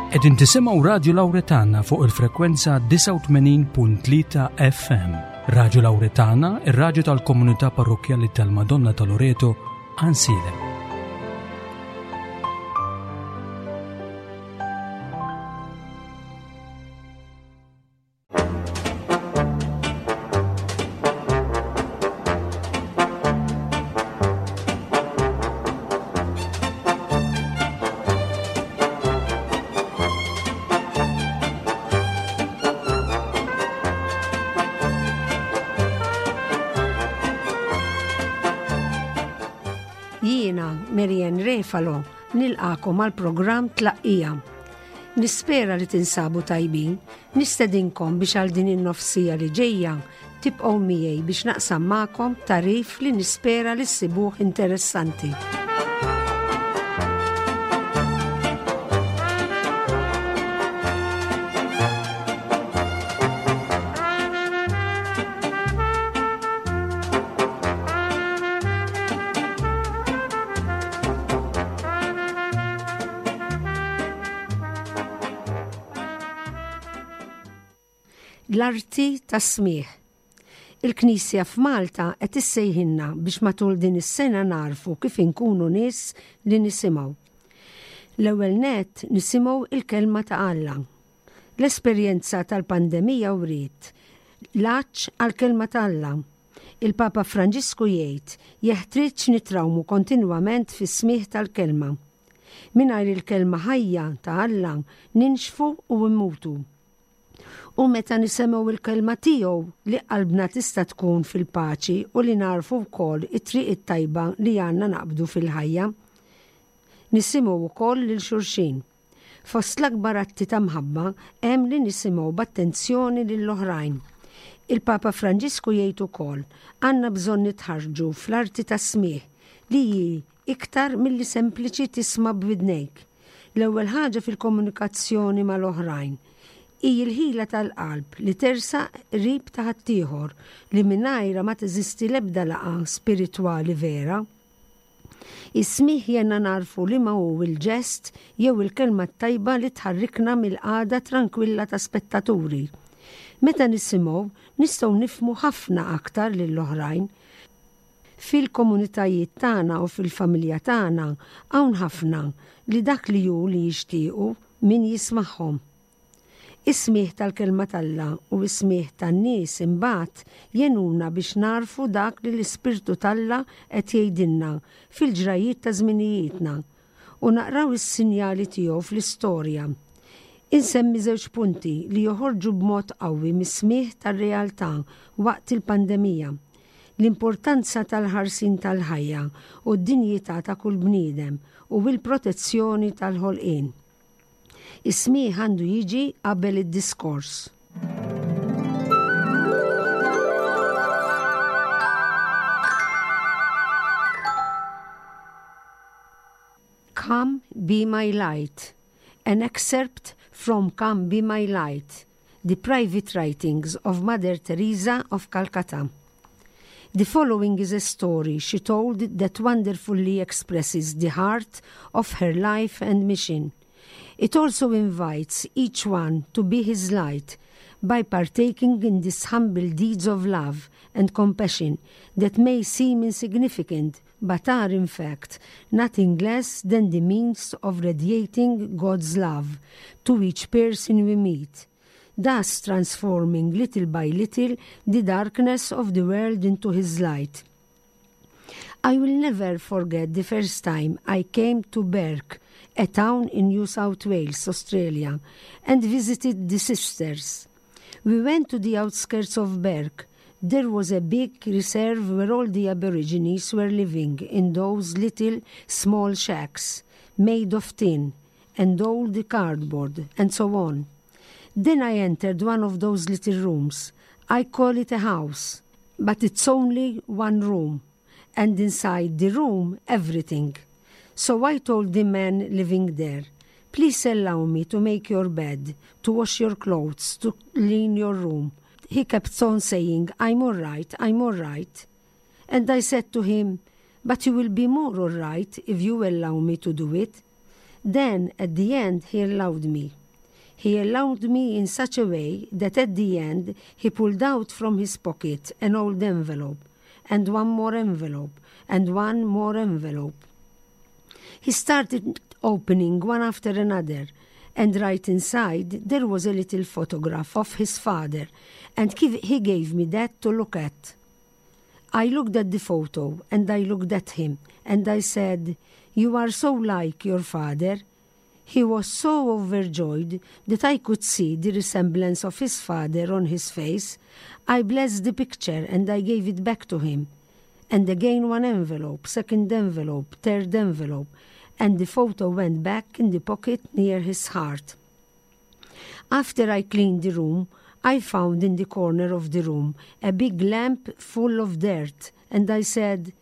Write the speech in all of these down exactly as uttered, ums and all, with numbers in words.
Qegħdin tisimgħu Radju Lawretana fuq il-frekwenza disgħa u tmenin punt tlieta F M. Radju Lawretana, ir-radju tal-komunità parrokkjali tal-Madonna ta' Loreto, Għajnsielem. Jiena, Marianne Refalo, nilqagħkom għal programm Tlaqqija. Nispera li tinsabu tajbin, nistedinkom biex għal din in-nofs siegħa li ġejja tibqgħu miegħi biex naqsam magħkom tagħrif li nispera li ssibuh interessanti. L-arti tas-smigħ. Il-Knisja f'Malta qed issejħilna biex matul din is-sena nagħrfu kif inkunu nies li nisimgħu. L-ewwel net nisimgħu il-kelma ta' Alla. L-esperjenza tal-pandemija wriet l-għatx għal-kelma ta' Alla. Il-Papa Franġisku jgħid jeħtieġ nitrawmu kontinwament fis-smigħ tal-kelma. Mingħajr il-kelma ħajja ta' Alla ninxfu u mmutu. U meta nisimgħu il-kelma tiegħu li qalbna tista' tkun fil-paċi u li nagħrfu wkoll it-triq it-tajba li għandna naqbdu fil-ħajja. Nisimgħu wkoll lil xulxin. Fost l-akbar atti ta' mħabba hemm li nisimgħu b'attenzjoni lill-oħrajn. Il-Papa Franġisku jgħid ukoll għandna bżonn nitħarġu fl-arti tas-smigħ, li hi iktar milli sempliċi tisma' b'widnejk. L-ewwel ħaġa fil-komunikazzjoni mal-oħrajn hi l-ħila tal-qalb li tersaq qrib ta' ħaddieħor, li mingħajra ma teżisti l-ebda laqgħa spiritwali vera. Is-smigħ jgħinna nagħrfu li ma hu il-ġest jew il-kelma tajba li tħarrikna mill-qagħda tranquilla ta' spettaturi. Meta nisimgħu, nistgħu nifhmu ħafna aktar lill-oħrajn. Fil-komunitajiet tagħna u fil-familja tagħna hawn ħafna li dak li hu li jixtiequ min jismagħhom. Is-smigħ tal-kelma t'Alla u is-smigħ tan-nies imbagħad jgħinuna biex nagħrfu dak li l-Ispirtu t'Alla qed jgħidilna fil-ġrajiet ta' żminijietna u naqraw is-sinjali tiegħu fl-istorja. Insemmi żewġ punti li joħorġu b'mod qawwi mis-smigħ tar-realtà waqt il-pandemija: l-importanza tal-ħarsien tal-ħajja u d-dinjità ta' kull bniedem u l-protezzjoni tal-ħolqien. Is-smigħ għandu jiġi qabel id-diskors. Come Be My Light, an excerpt from Come Be My Light, the private writings of Mother Teresa of Calcutta. The following is a story she told that wonderfully expresses the heart of her life and mission. It also invites each one to be his light by partaking in these humble deeds of love and compassion that may seem insignificant but are in fact nothing less than the means of radiating God's love to each person we meet, thus transforming little by little the darkness of the world into his light. I will never forget the first time I came to Bourke, a town in New South Wales, Australia, and visited the sisters. We went to the outskirts of Bourke. There was a big reserve where all the Aborigines were living in those little small shacks made of tin and old cardboard and so on. Then I entered one of those little rooms. I call it a house, but it's only one room, and inside the room, everything. So I told the man living there, "Please allow me to make your bed, to wash your clothes, to clean your room." He kept on saying, "I'm all right, I'm all right." And I said to him, "But you will be more all right if you allow me to do it." Then at the end he allowed me. He allowed me in such a way that at the end he pulled out from his pocket an old envelope, and one more envelope, and one more envelope. He started opening one after another, and right inside there was a little photograph of his father, and he gave me that to look at. I looked at the photo, and I looked at him, and I said, You are so like your father. He was so overjoyed that I could see the resemblance of his father on his face. I blessed the picture and I gave it back to him. And again one envelope, second envelope, third envelope, and the photo went back in the pocket near his heart. After I cleaned the room, I found in the corner of the room a big lamp full of dirt, and I said,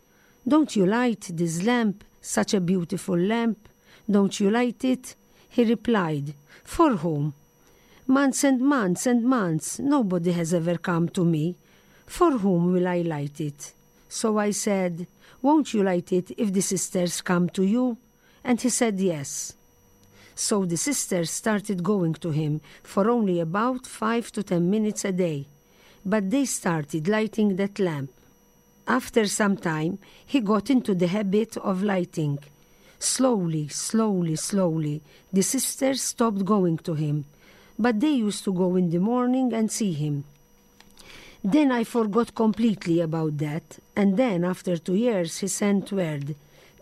Don't you light this lamp, such a beautiful lamp? Don't you light it? He replied, For whom? Months and months and months, nobody has ever come to me. For whom will I light it? So I said, Won't you light it if the sisters come to you? And he said yes. So the sisters started going to him for only about five to ten minutes a day. But they started lighting that lamp. After some time, he got into the habit of lighting. Slowly, slowly, slowly, the sisters stopped going to him, but they used to go in the morning and see him. Then I forgot completely about that, and then after two years he sent word,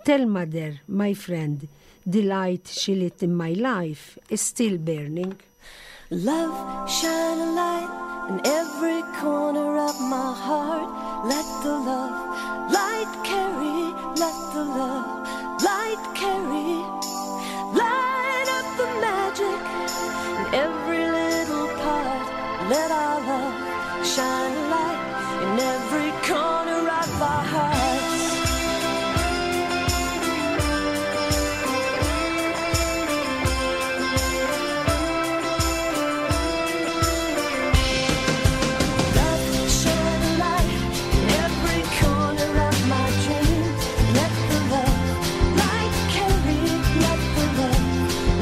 Tell mother, my friend, the light she lit in my life is still burning. Love, shine a light in every corner of my heart. Let the love light carry, let the love light carry. Light up the magic in every little part. Let our love shine a light in every corner of our hearts. Love, shine a light in every corner of my dream. Let the love light carry, let the love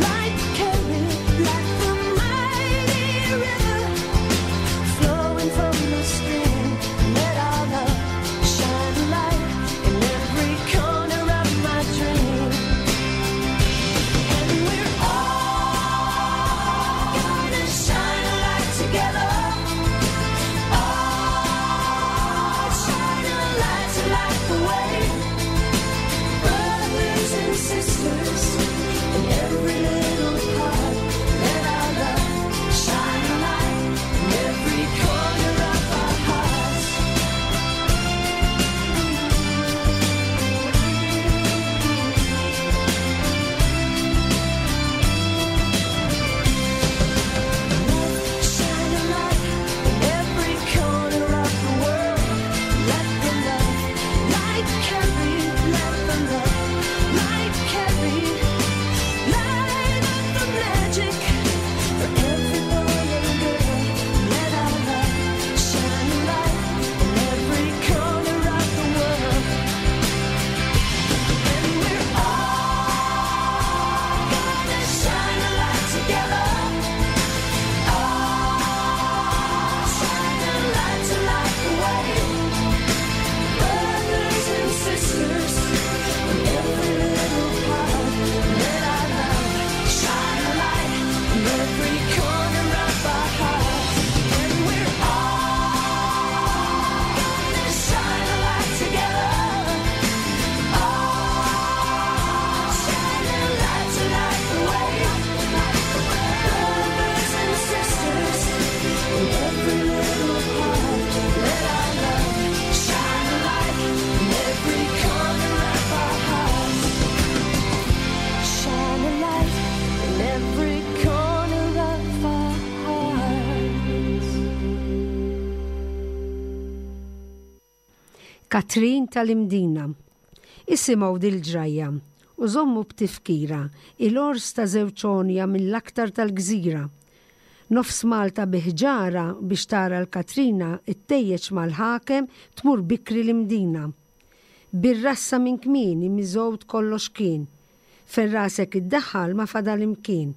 light carry, like the mighty river flowing from the stream. Let our love shine a light in every corner of my dream. And we're all gonna shine a light together. All shine a light to light the way. Brothers and sisters in every little part. Let our love shine a light in every corner of our hearts. Love, shine a light in every corner of the world. Let the love light carry, let the love light carry. Light up the magic for every boy and girl. Let our love shine a light in every corner of the world. And we're all gonna shine a light together. All shine a light to light the way. Brothers and sisters in every little part. Let our love shine a light in every corner of our hearts. And we're all gonna shine a light together. All shine a light to light the way. Brothers and sisters in every little part. Let our love shine a light in every corner of our hearts. Shine a light in every corner of our hearts. Katrin tal-Imdina. Isimgħu dil-ġrajja u żommu b'tifkira il-ors ta' żewġ għonja mill-aktar tal-gżira. Nofs Malta bi ħġarha biex tara l-Katrina ittejjeġ mal-ħakem tmur bikri l-Imdina. Bir-rassa minn kmieni miżgħud kollox kien. Fejn rasek iddaħħal ma fadal imkien.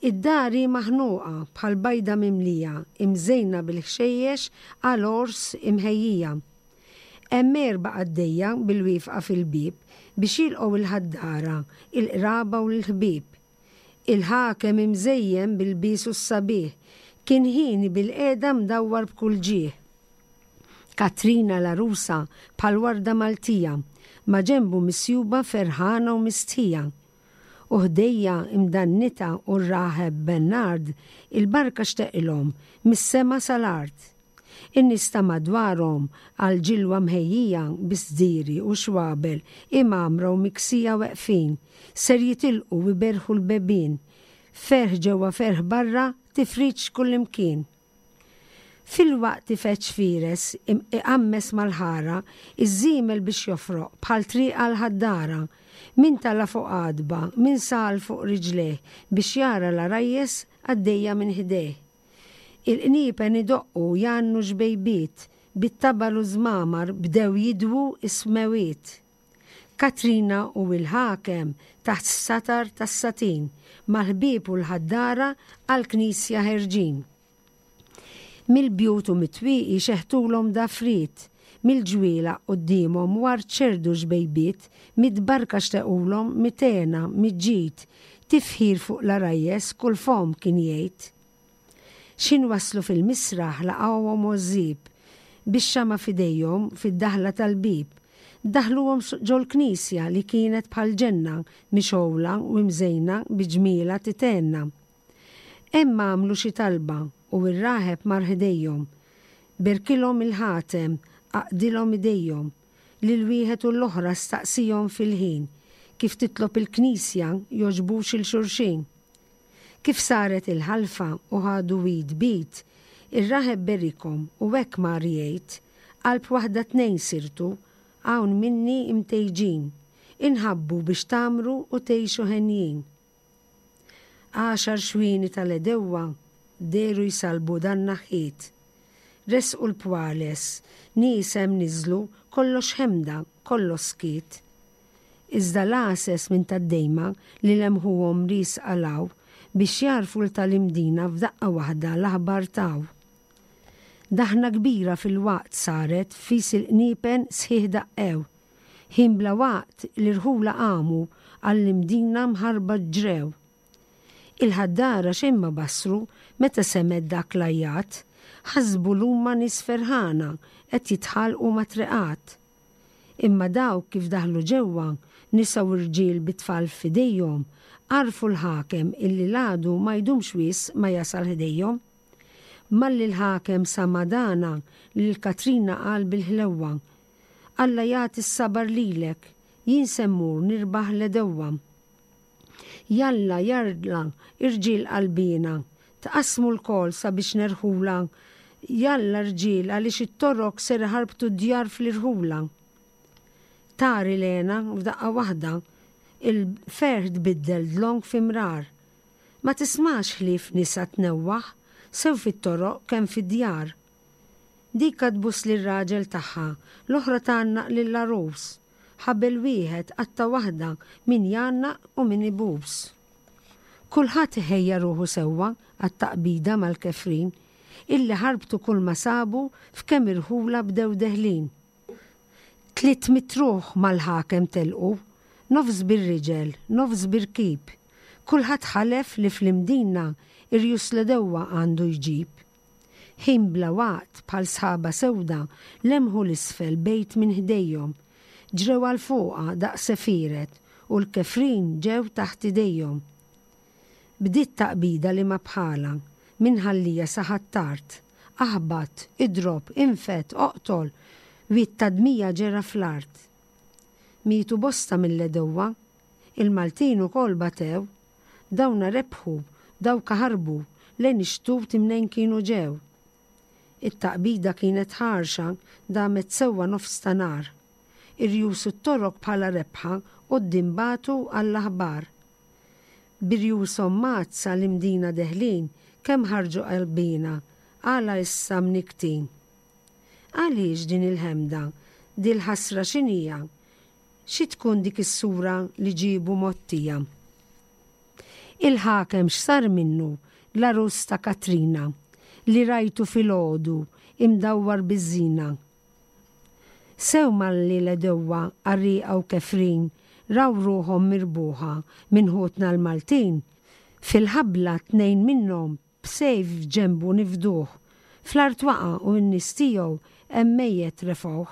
Id-dar hi maħnuqa bħal bajda mimlija, imżejna bil-ħxejjex għal għors imħejjija. Hemm erba' qaddejja bil-wieqfa fil-bieb biex jilqgħu il-ħaddara, il-qraba u l-ħbieb. Il-ħakem imżejjen bil-lbiesu s-sabiħ, kien ħieni bil-qiegħda mdawwar b'kull ġieħ. Katrina l-għarusa bħal warda Maltija, ma ġenbu misjuba ferħana u mistħija. U ħdejha imdannita u r-raħeb Bernard il-barka xteqilhom mis-sema sal-art. In-nies ta' madwarhom għal ġilwa mħejjija bi sdiri u xwabel imgħammra u miksija weqfin, ser jitilqu u iberħu l-bebien, ferħ ġewwa ferħ barra tifriċ kullimkien. Fil-waqt ifeġġ fieres iqammes mal-ħara, iż-żiemel biex jofroq bħal triq għal-ħaddara, min tala' fuq għadba, min sal fuq riġlejh biex jara l-għarajjes għaddejja minn ħdejh. Il-qniepen idoqqu jgħannu xbejbiet, bit-tabal u żmamar bdew jidwu is-smewiet. Katrina u il-ħakem taħt satar tas-satin, mal-ħbieb u l-ħaddara għal-knisja ħerġin. Mill-bjut u mit-twieqi xeħtulhom dafriet, mill-ġwielaq quddiemhom ward xerrdu xbejbiet, mitt barka xtaqulhom mitt hena, mitt ġid, tifħir fuq l-għarajjes kull fomm kien jgħid. X'ħin waslu fil-misraħ laqgħuhom għożżieb, bix-xama' f'idejhom fid-daħla tal-bib, daħluhom ġol-knisja li kienet bħal ġenna mixgħula u mżejna bi ġmielha tithenna. Hemm għamlu xi talba u r-raħeb mar ħdejhom. Berkilhom il-ħatem, għaqqdilhom idejhom, lil wieħed u l-oħra staqsihom fil-ħin, kif titlob il-knisja jogħġbux lil xulxin. Kif saret il-ħalfa u ħadu id b'id, ir-raħeb berikhom u hekk mar jgħid, qalb waħda tnejn sirtu, hawn minni imtejġin, inħabbu biex tgħammru u tgħixu henjin. Għaxar xwieni tal-għedewwa dehru jsalbu dan naħħiet. Resqu l-pwales, nies hemm niżlu, kollox ħemda, kollox skiet. Iżda l-għases minn tad-dejma li lemħuhom riesqa 'l hawn biex jgħarrfu 'l tal-Imdina f'daqqa waħda l-aħbar taw. Daħna kbira fil-waqt saret fis il-qniepen sħiħ daqqew. Ħin bla waqt l-irħula qamu għall-Imdina mħarba ġrew. Il-ħaddara xejn ma basru meta semgħet dak l-għajat, ħasbu l-huma nies ferħana qed jitħalqu mat-triqat. Imma dawk kif daħlu ġewwa, nisa u rġiel bit-tfal f'idejhom, għarfu l-ħakem illi l-għadu ma jdumx wisq ma jasal ħdejhom. Malli l-ħakem sama dana lil Katrina qal bil-ħlewwa. Alla jagħti s-sabar lilek, jien se mmur nirbaħ l-għedewwa. Jalla jalla irġiel qalbiena, tqasmu lkoll sabiex nerħula, jalla rġiel għaliex it-Torok ser ħarbtu djar fl-irħula. Tari lena f'daqqa waħda, il-ferħ tbiddel dlonk fi mrar. Ma tismax ħlief nisa tnewwaħ, sew fit-toroq kemm fid-djar. Dika tbus lir-raġel tagħha, l-oħra tgħannaq lill-għarus. Ħabel wieħed qatta waħda min jgħannaq u min ibus. Kulħadd ħejja ruħu sewwa għat-taqbida mal-kefrin, illi ħarbtu kull ma sabu f'kemm irħula bdew deħlin. Tliet mitt ruħ mal-ħakem telqu, nofs bir-riġel, nofs bir-rkib. Kulħadd ħalef li fl-Imdina irjus l-għedewwa għandu jġib. Ħin bla waqt bħal sħaba sewda lemħu 'l isfel bejt minn ħdejhom. Ġrew għal fuqha daqs għefieret u l-kefrin ġew taħt idejhom. Bdiet taqbida li ma bħala, minn Ħal Lija sa Ħ'Attard. Aħbat, idrob, infed, oqtol, wied ta' dmija ġera fl-art. Mietu bosta mill-għedewwa, il-Maltin ukoll batew, dawna rebħu, dawk ħarbu, lejn ix-xtut imnejn kienu ġew. It-taqbida kienet ħarxa damet sewwa nofs ta' nhar. Irjus it-Torok bħala rebħa quddiem bagħtu għall-aħbar. B'irjushom mgħaddsa l-Imdina deħlin kemm ħarġu qalbina, għala issa mnikktin. Għaliex din il-ħemda, dil-ħasra x'inhija? Xi tkun dik is-sura li ġiebu mgħottija? Il-ħakem x'sar minnu l-għarus ta' Katrina li rajtu filgħodu imdawwar biż-żina. Sew malli l-għedewwa qarrieqa u kefrin raw ruħhom mirbuħa minn ħutna l-Maltin, fil-ħabla tnejn minnhom b'sejf f'ġenbu nifduh, fl-art waqa' u n-nies tiegħu hemm mejjet refgħuh.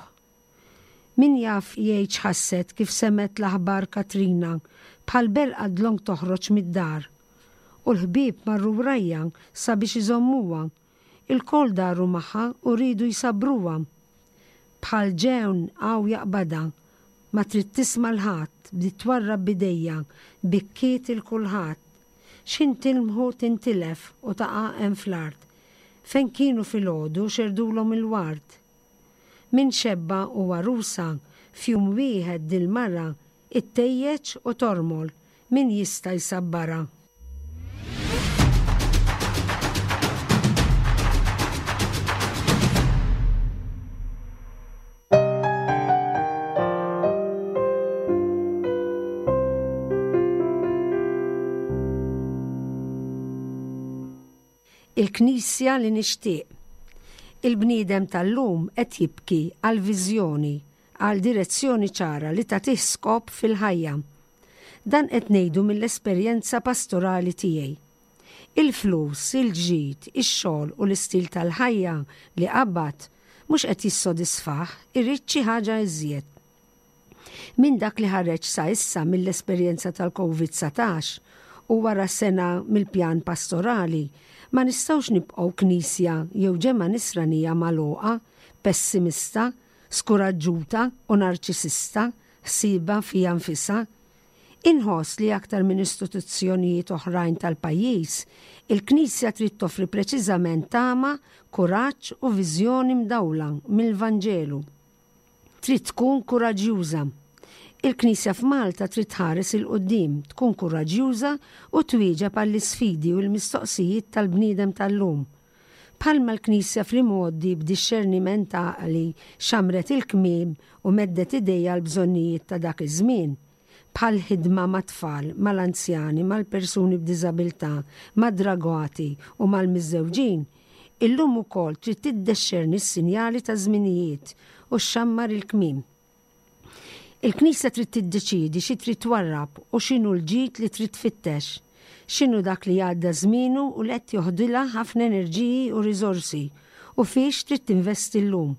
Min jaf jgħid x'ħasset kif semgħet l-aħbar Katrina bħal berqa dlonk toħroġ mid-dar. U l-ħbieb marru wrajja sabiex iżommuha. Ilkoll daru magħha u riedu jsabbruha. Bħal ġewn għaw jaqbadha, ma trid tisma' 'l ħadd, bdiet twarrab b'idejha, bikkiet 'il kulħadd. X'ħin tilmħu tintilef u taqa' hemm fl-art. Fejn kienu filgħodu xerdulhom il-ward. Minn xebba u għarusa, f'jum wieħed dil-mara ittejjeġ u tormol, min jista' jsabbarha? Il-Knisja li nixtieq. Il-bniedem tal-lum qed jibki għal viżjoni, għal direzzjoni ċara li tagħtih skop fil-ħajja. Dan qed ngħidu mill-esperjenza pastorali tiegħi. Il-flus, il-ġid, ix-xogħol u l-istil tal-ħajja li qabad mhux qed jissodisfah, irid xi ħaġa iżjed. Minn dak li ħareġ sa issa mill-esperjenza tal-Covid dsatax u wara sena mill-pjan pastorali, ma nistgħux nibqgħu knisja jew ġemgħa nisranija magħluqa, pessimista, skuraġġuta u narċisista, ħsiba fija nfisha. Inħoss li aktar minn istituzzjonijiet oħrajn tal-pajjiż, il-Knisja trid toffri preċiżament tama, kuraġġ u viżjoni mdawla mill-Vanġelu. Trid tkun kuraġġjuża. Il-Knisja f'Malta trid tħares 'il quddiem, tkun kuraġġjuża u twieġeb għall-isfidi u l-mistoqsijiet tal-bniedem tal-lum. Bħalma l-Knisja fl-imgħoddi b'dixxerniment għaqli xamret il-kmiem u meddet idejha l-bżonnijiet ta' dak iż-żmien, bħal ħidma mat-tfal, mal-anzjani, mal-persuni b'diżabilità, mad-dragati u mal-miżżewġin, illum ukoll trid tiddexxerni s-sinjali ta' żminijiet u xxammar il-kmiem. Il-Knisja trid tiddeċiedi xi trid twarrab u x'inhu l-ġid li trid tfittex, x'inhu dak li għadda żmienu u li qed joħdilha ħafna enerġiji u riżorsi u fiex trid tinvesti llum.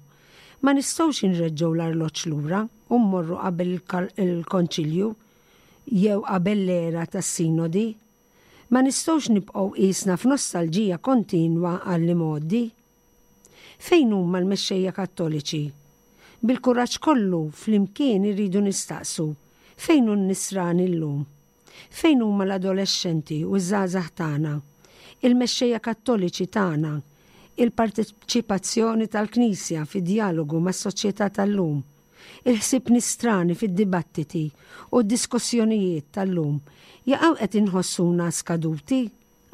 Ma nistgħux inreġġgħu l-arloġġ lura u mmorru qabel il-konċilju jew qabel l-era tas-sinodi. Ma nistgħux nibqgħu qisna f'nostalġija kontinwa għall-imgħoddi. Fejn huma l-mexxejja Kattoliċi? Bil-kuraġġ kollu flimkien irridu nistaqsu fejn hu n-nisrani llum? Fejn huma l-adolescenti u ż-żgħażagħ tagħna? Il-mexxejja Kattoliċi tagħna? Il-parteċipazzjoni tal-Knisja fid-dialogu mas-soċjetà tal-lum? Il-ħsieb nisrani fid-dibattiti u d-diskussjonijiet tal-lum jaqgħu qed inħossuna skaduti?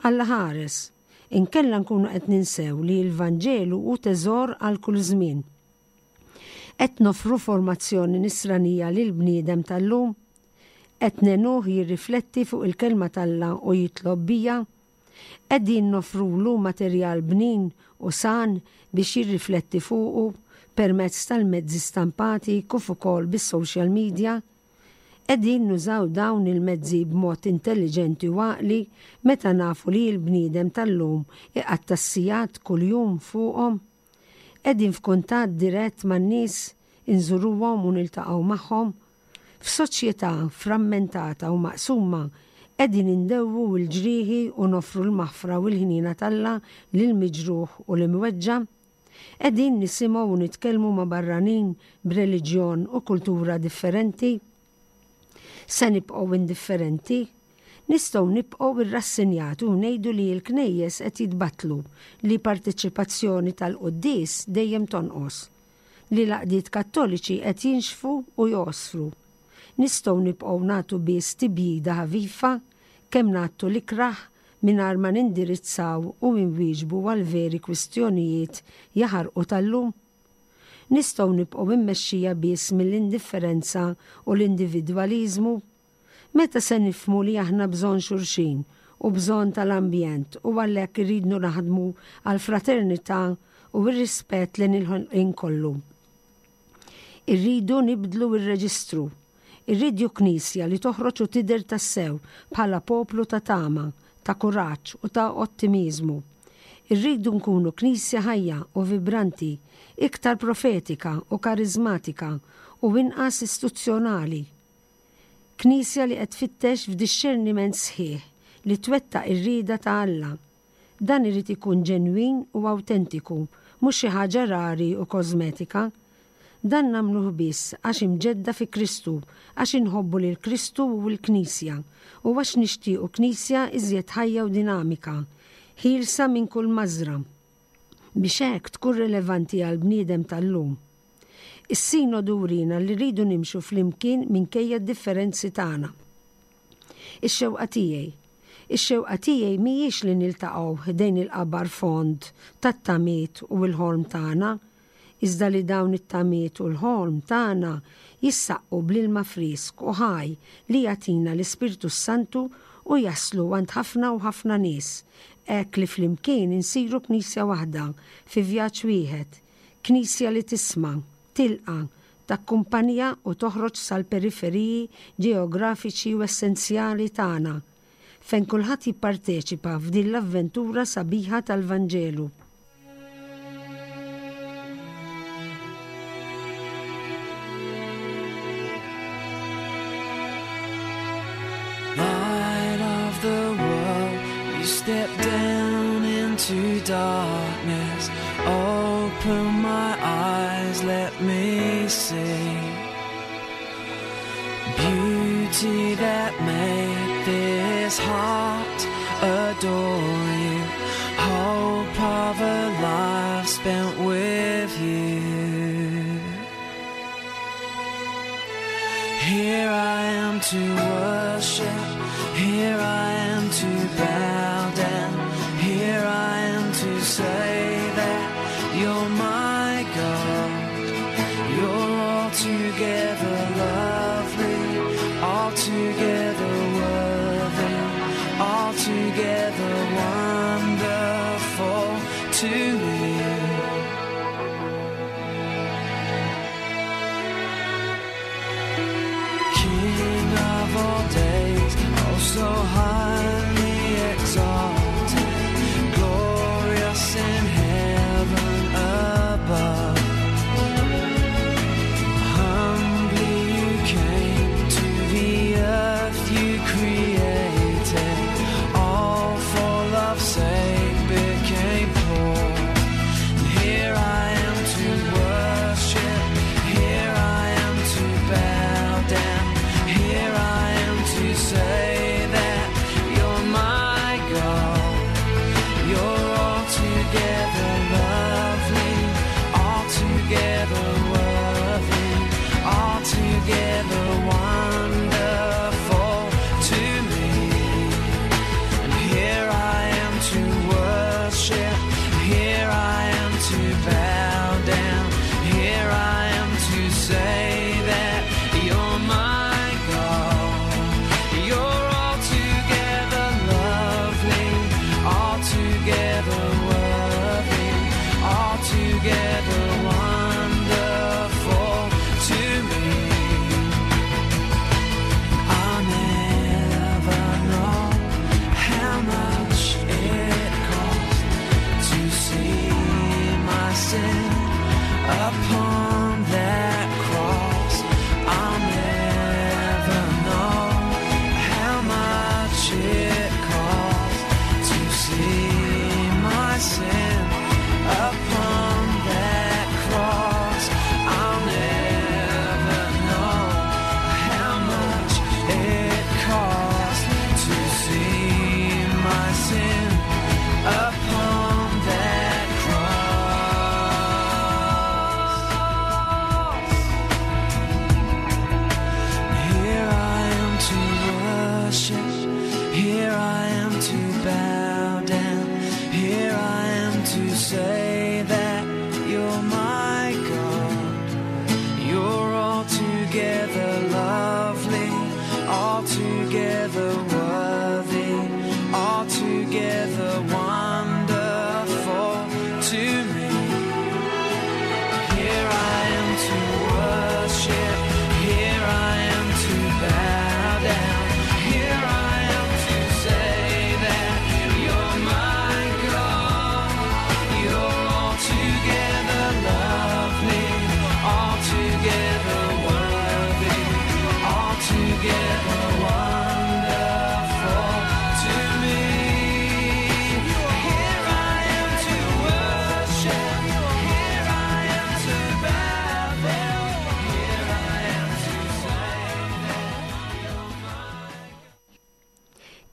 Alla ħares, inkella nkunu qed ninsew li l-Vanġelu hu teżor għal kull żmien. Qed nofru formazzjoni nisranija lil bniedem tal-lum? Qed nenuh jirrifletti fuq il-kelma t'Alla u jitlob bija? Qegħdin nofrulu materjal bnin u san biex jirrifletti fuqu permezz tal-mezzi stampati kif ukoll bis-social media? Qegħdin nużaw dawn il-mezzi b'mod intelligenti u għaqli meta nafu li l-bniedem tal-lum iqatta' s-sigħat kuljum fuqhom? Qegħdin f'kuntatt dirett man-nies, inżuruhom u niltaqgħu magħhom? F'soċjetà frammentata u maqsuma, qegħdin indewwu l-ġrieħi u nofru l-maħfra u l-ħniena t'Alla lill-miġruħ u l-imweġġa'? Qegħdin nisimgħu u nitkellmu ma' barranin b'reliġjon u kultura differenti? Se nibqgħu indifferenti? Nistgħu nibqgħu irrassenjati u ngħidu li l-knejjes qed jitbattlu, li parteċipazzjoni tal-quddies dejjem tonqos, li l-għaqdiet Kattoliċi qed jinxfu u josfru. Nistgħu nibqgħu nagħtu biss tibjida ħafifa kemm nagħtu l-ikrah mingħajr ma nindirizzaw u nwieġbu għal veri kwistjonijiet jaħarqu tal-lum. Nistgħu nibqgħu immexxija biss mill-indifferenza u l-individwaliżmu. Meta se nifhmu li aħna bżonn xulxin u bżonn tal-ambjent u għalhekk irridu naħdmu għal fraternità u r-rispett lejn il-ħolqien kollu. Irridu nibdlu ir-reġistru. Irridu knisja li toħroġ u tidher tassew bħala poplu ta' tama, ta' kuraġġ u ta' ottimizmu. Irridu nkunu knisja ħajja u vibranti, iktar profetika u karizmatika u inqas istituzzjonali. Knisja li qed tfittex f'dixxerniment sħiħ li twettaq ir-rieda ta' Alla. Dan irid ikun ġenwin u awtentiku, mhux xi ħaġa rari u kosmetika. Dan nagħmluh biss għax imġedda fi Kristu, għax inħobbu lil Kristu u l-Knisja, u għax nixtiequ Knisja iżjed ħajja u dinamika, ħielsa minn kull mażra. Biex hekk tkun relevanti għal bniedem tal-lum. Is-sinodu wriena li rridu nimxu flimkien minkejja d-differenzi tagħna. Ix-xewqa tiegħi. Ix-xewqa tiegħi mhijiex li niltaqgħu ħdejn il-qabar fond tat-tamiet u l-ħolm tagħna, iżda li dawn it-tamiet u l-ħolm tagħna jissaqqu bl-ilma frisk u ħaj li jagħtina l-Ispirtu Santu u jaslu għand ħafna u ħafna nies, hekk li flimkien insiru knisja waħda fi vjaġġ wieħed, knisja li tisma', tilqa', takkumpanja u toħroġ sal-periferiji ġeografiċi u essenzjali tagħna, fejn kulħadd jipparteċipa f'din l-avventura sabiħa tal-Vanġelu. Light of the world, you step down into darkness. Open my eyes, let me see beauty that made this heart adore you. Hope of a life spent with you. Here I am to worship, here I am to bow down, here I am to say that you're my God. You're altogether lovely, altogether worthy, altogether wonderful to me. King of all days, oh so highly exalted, glorious in heaven above. Humbly you came to the earth you created, all for love's sake became poor. And here I am to worship, here I am to bow down, here I am to say that you're my God. You're altogether lovely, altogether worthy, altogether wonderful to me. And here I am to worship, here I am to bow down, here I am to say that you're my God. You're altogether lovely, altogether worthy, altogether wonderful to me. I'll never know how much it cost to see my sin upon that cross. I'll never know how much it cost to see my sin upon that cross. I'll never know how much it cost to see my sin upon that cross. Here I am to worship, here I am to bow down, here I am to say that you're my God. You're altogether lovely, altogether worthy,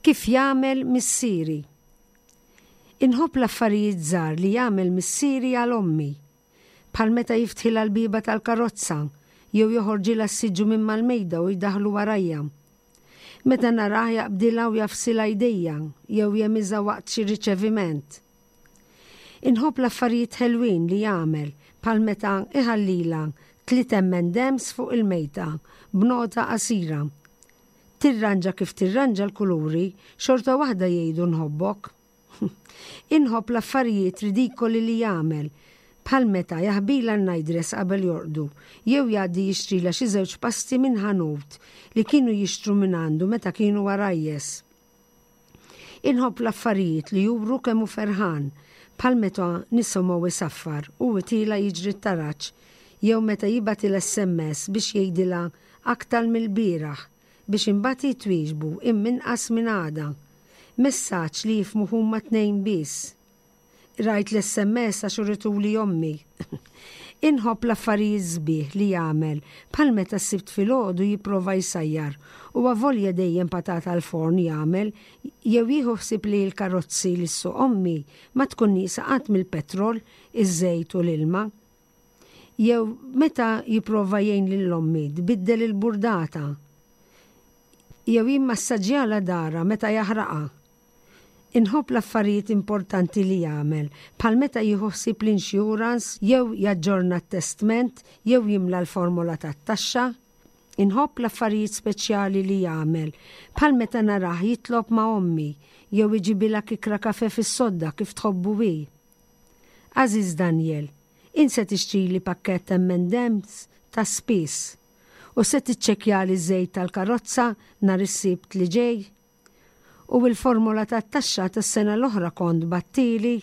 Kif jagħmel missieri. Inħobb l-affarijiet żgħar li jagħmel missieri għal ommi. Bħal meta jiftħilha l-bieba tal-karozza jew joħorġilha s-siġġu minn mal-mejda u jdaħlu warajja. Meta narah jaqbdilha u jagħfsilha jdejha jew jehmiżha waqt xi riċeviment. Inħobb l-affarijiet ħelwin li jagħmel bħal meta iħallilha tliet M and M's fuq il-mejda b'nota qasira. Tirranġa kif tirranġa l-kuluri, xorta waħda jgħidu nħobbok. Inħobb l-affarijiet ridikoli li jagħmel bħal meta jaħbilha n-nightdress qabel jorqdu, jew jgħaddi jixtrila xi żewġ pasti minn ħanut li kienu jixtru minn għandu meta kienu għarajjes. Inħobb l-affarijiet li juru kemm hu ferħan, bħal meta nisimgħu isaffar u tiela' jiġri t-taraġ, jew meta jibgħat il-S M S biex jgħidilha aktar mill-bieraħ biex imbagħad twieġbu imminqas minn għada. Messaġġ li jifhmu huma tnejn biss. Rajt l-S M S għax urituli ommi. Inħobb l-affarijiet sbieħ li jagħmel bħal meta s-Sibt filgħodu jipprova jsajjar u avolja dejjem patata l-forn jagħmel, jew jieħu ħsieb li l-karozzi li ssuq ommi ma tkun nieqsa qatt mill-petrol, iż-żejt u l-ilma. Jew meta jipprova jgħin lil ommi tbiddel il-burdata. Jew jimmassaġġjalha daharha meta jaħraqha. Inħobb l-affarijiet importanti li jagħmel, bħal meta jieħu ħsieb l-insurance, jew jaġġorna t-testment, jew jimla l-formola tat-taxxa. Inħobb l-affarijiet speċjali li jagħmel, bħal meta narah jitlob ma' ommi, jew iġibilha kikra kafe fis-sodda kif tħobbu hi. Għażiż Daniel, int se tixtrili pakkett M and M's ta' spiss u se tiċċekkjali żejt tal-karozza nhar is-Sibt li ġej? U il-formola tat-taxxa tas-sena l-oħra kont bgħatthieli?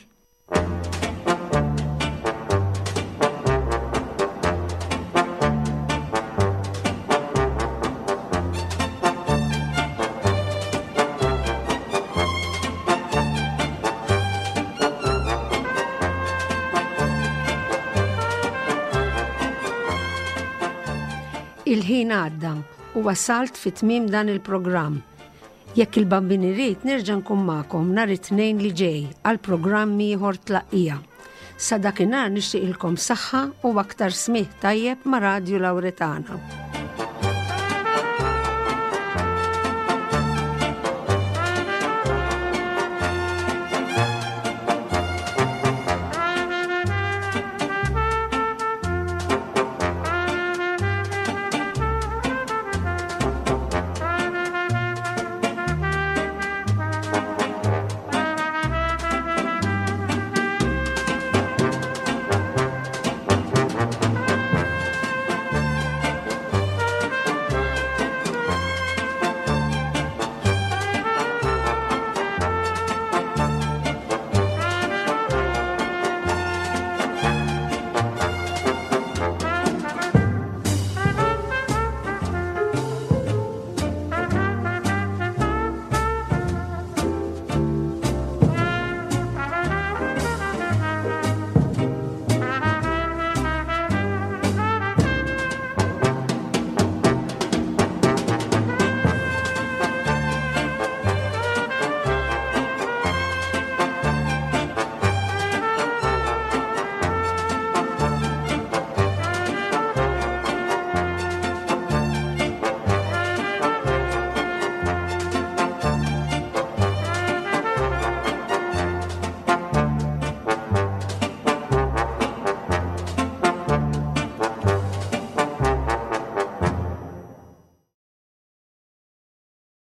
Il-ħin għadda u wasalt fi tmiem dan il-programm. Jekk il-Bambin irid, nerġa' nkun magħkom nhar it-Tnejn li ġej għal programm ieħor Tlaqqija. Sa dakinhar nixtieqilkom saħħa u aktar smigħ tajjeb ma' Radju Lauretana.